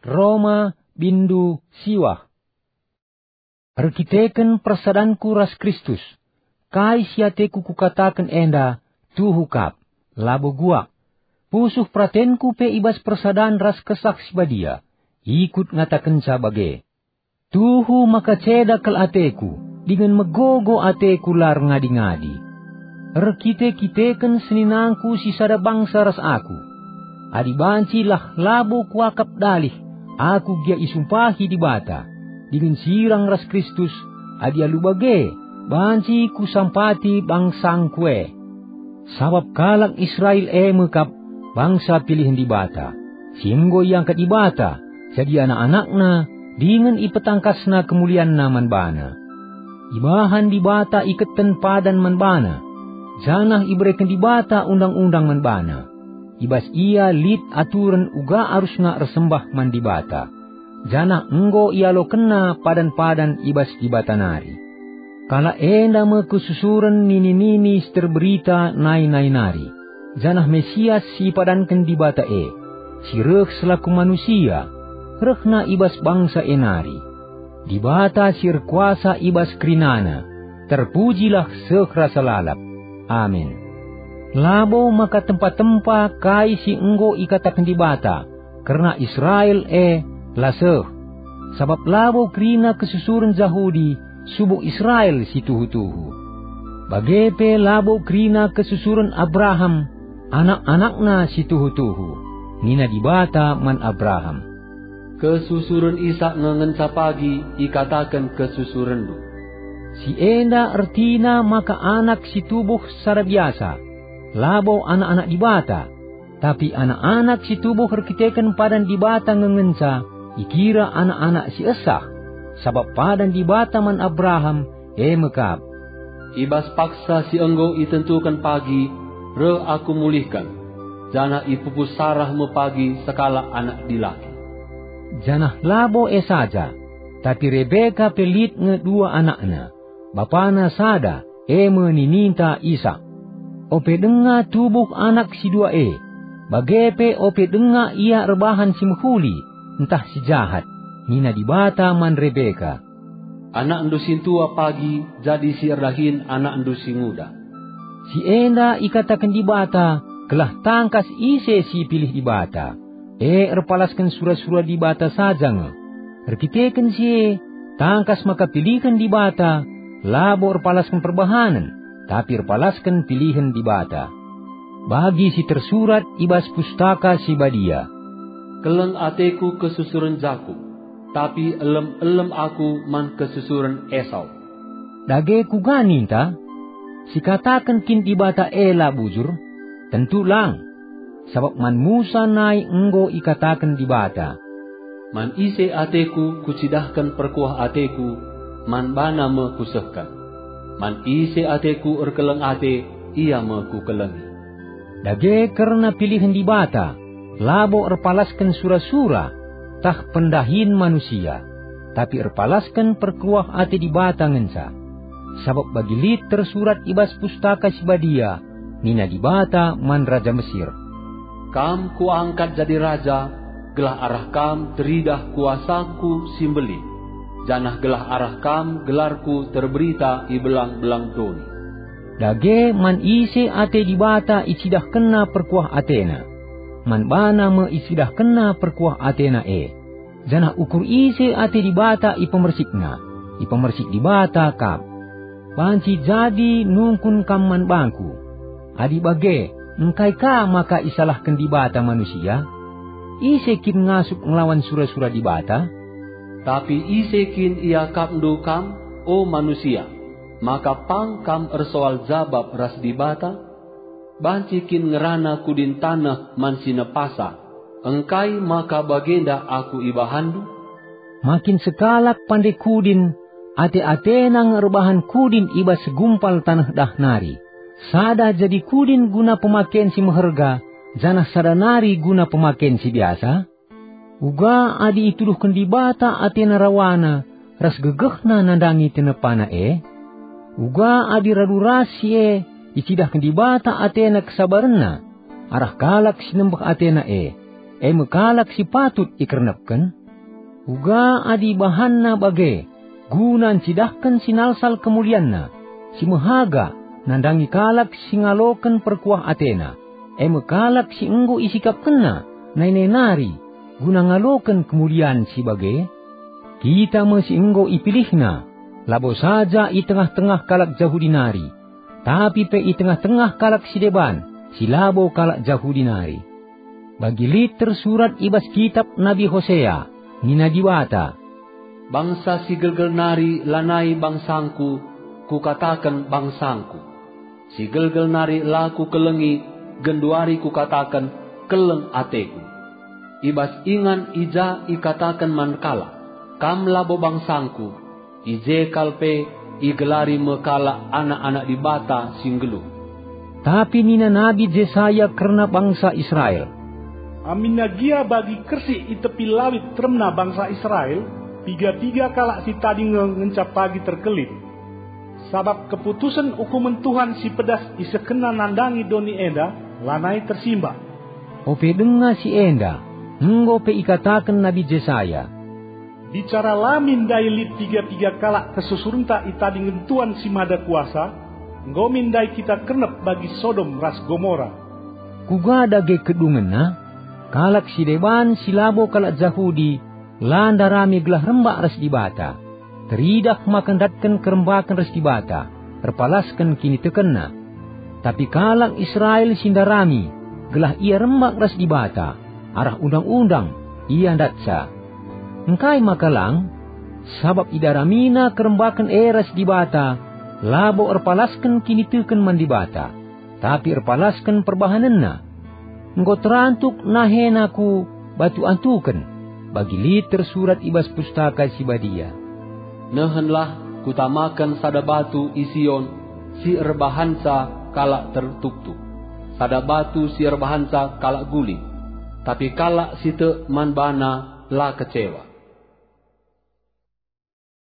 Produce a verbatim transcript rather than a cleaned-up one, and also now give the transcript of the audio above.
Roma, bindu siwah. Erkiteken persadanku ras Kristus, kai si ateku kukataken enda tuhu kap, labo guak. Pusuh peratenku pe i bas persadan ras Kesah Si Badia, ikut ngatakenca bage. Tuhu maka ceda kal ateku, dingen megogo ateku la erngadi-ngadi. Erkite-kiteken seninangku si sada bangsa ras aku. Adi banci lah labo kuakap dalih aku gia isumpahi Dibata, dingen sirang ras Kristus, adi alu bage, banci kusampati bangsangku e. Sabap kalak Israel e me kap bangsa pilihen Dibata, si enggo iangkat Dibata jadi anak-anakNa dingen ipetangkasNa kemulianNa man bana. Ibahan Dibata iketen padan man bana, janah ibereken Dibata undang-undang man bana. I bas ia lit aturen uga arusna ersembah man Dibata, janah enggo ialokenna padan-padan i bas Dibata nari. Kalak enda me kesusuren nini-nini si terberita nai-nai nari, janah Mesias si ipadanken Dibata e, si reh selaku manusia, rehna i bas bangsa e nari. Dibata si erkuasa i bas kerinana, terpujilah seh rasa lalap. Amin. Labo maka tempa-tempa kai si enggo ikataken Dibata kerna Israel e la seh, sabap labo kerina kesusuren Jahudi subuk Israel si tuhu-tuhu. Bage pe labo kerina kesusuren Abraham anak-anakna si tuhu-tuhu. Nina Dibata man Abraham, "Kesusuren Isak nge ngenca pagi ikataken kesusurenndu." Si enda ertina maka anak si tubuh secara biasa, labo anak-anak Dibata, tapi anak-anak si tubuh erkiteken padan Dibata nge ngenca ikira anak-anak si esah, sabap padan Dibata man Abraham e me kap, "I bas paksa si enggo itentuken pagi, reh Aku mulihken, janah ipupus Sarah me pagi sekalak anak dilaki." Janah labo e saja, tapi Rebeka pe lit nge dua anakna. Bapana sada, e me nininta Isak. Ope denga tubuh anak si dua e, bage pe ope denga ia erbahan si mehuli ntah si jahat, nina Dibata man Rebeka, "Anakndu sintua pagi jadi si erdahin anakndu si nguda." Si enda ikataken Dibata gelah tangkas ise si ipilih Dibata, e erpalasken sura-sura Dibata saja nge. Erkiteken si e, tangkas maka pilihen Dibata labo erpalasken perbahanen, tapi erpalasken pilihen Dibata. Bagi si tersurat i bas Pustaka Si Badia, "Keleng ateku kesusuren Jakup, tapi elem-elem aku man kesusuren Esau." Dage kuga ninta? Sikataken kin Dibata e la bujur? Tentu lang! Sabap man Musa nai enggo ikataken Dibata, "Man ise ateku kucidahken perkuah ateku, man bana me kusehken. Man ise ateku erkeleng ate, ia me kukelengi." Dage kerna pilihen Dibata, labo erpalasken sura-sura tah pendahin manusia, tapi erpalasken perkuah ate Dibata ngenca. Sabap bagi lit tersurat i bas Pustaka Si Badia, nina Dibata man raja Mesir, "Kam Kuangkat jadi raja, gelah arah kam teridah kuasaKu si mbelin, janah gelah arah kam gelarKu terberita i belang-belang doni." Dage man ise ate Dibata icidahkenNa perkuah ateNa, man bana me icidahkenNa perkuah ateNa e. Janah ukur ise ate Dibata ipemersikNa, ipemersik Dibata kap. Banci jadi nungkun kam man bangku. Adi bage, engkai ka maka isalahken Dibata manusia? Ise kin ngasup ngelawan sura-sura Dibata? Tapi ise kin iakapndu kam, o manusia, maka pang kam ersoal jabap ras Dibata? Banci kin ngerana kudin taneh man si nepasa, engkai maka bagenda aku ibahanndu? Makin sekalak pande kudin, ate-atena nge erbahan kudin i bas segumpal taneh dah nari. Sada jadi kudin guna pemaken si meherga, janah sada nari guna pemaken si biasa? Uga adi ituduhken Dibata atena rawana ras gegehna nandangi tinepaNa e? Uga adi radu ras si e icidahken Dibata atena kesabarenNa arah kalak si nembeh atena e, e me kalak si patut ikernepken? Uga adi ibahanna bage guna ncidahken si nalsal kemulianna, si mehaga nandangi kalak si ngaloken perkuah atena, e me kalak si enggo isikapkenna nai-nai nari guna ngaloken kemulian si bage? Kita me si enggo ipilihNa, labo saja i tengah-tengah kalak Jahudi nari, tapi pe i tengah-tengah kalak si deban, si labo kalak Jahudi nari. Bagi lit tersurat i bas kitap Nabi Hosea, nina Dibata, "Bangsa si gelgel nari lanai bangsangKu, Kukataken bangsangKu. Si gelgel nari la Kukelengi, genduari Kukataken, keleng ateKu." I bas ingan i ja ikataken man kalak, "Kam labo bangsangKu," i je kal pe igelari me kalak anak-anak Dibata si nggeluh. Tapi nina Nabi Jesaya kerna bangsa Israel, "Aminna gia bagi kersik i tepi lawit teremna bangsa Israel, piga-piga kalak si tading nge ngenca pagi terkelin. Sabap keputusen ukumen Tuhan si pedas isehkenNa nandangi doni enda lanai tersimbak." Ope denga si enda, enggo pe ikataken Nabi Jesaya, "Bicara la min ndai lit piga-piga kalak kesusurenta i tadingen Tuan si Mada Kuasa, enggo min ndai kita kernep bagi Sodom ras Gomora." Kuga dage kedungenna? Kalak si deban si labo kalak Jahudi la ndarami gelah rembak ras Dibata, teridah maka ndatken kerembaken ras Dibata, erpalasken kinitekenna. Tapi kalak Israel si ndarami gelah ia rembak ras Dibata, arah undang-undang ia ndatsa. Engkai maka lang? Sabap idaramina kerembaken e ras Dibata, labo erpalasken kiniteken man Dibata, tapi erpalasken perbahanenna. Enggo terantuk nahena ku batu antuken, bagi lit tersurat i bas Pustaka Si Badia, "Nehenlah Kutamaken sada batu i Sion si erbahanca kalak tertuktuk, sada batu si erbahanca kalak guling, tapi kalak si tek man bana la kecewa."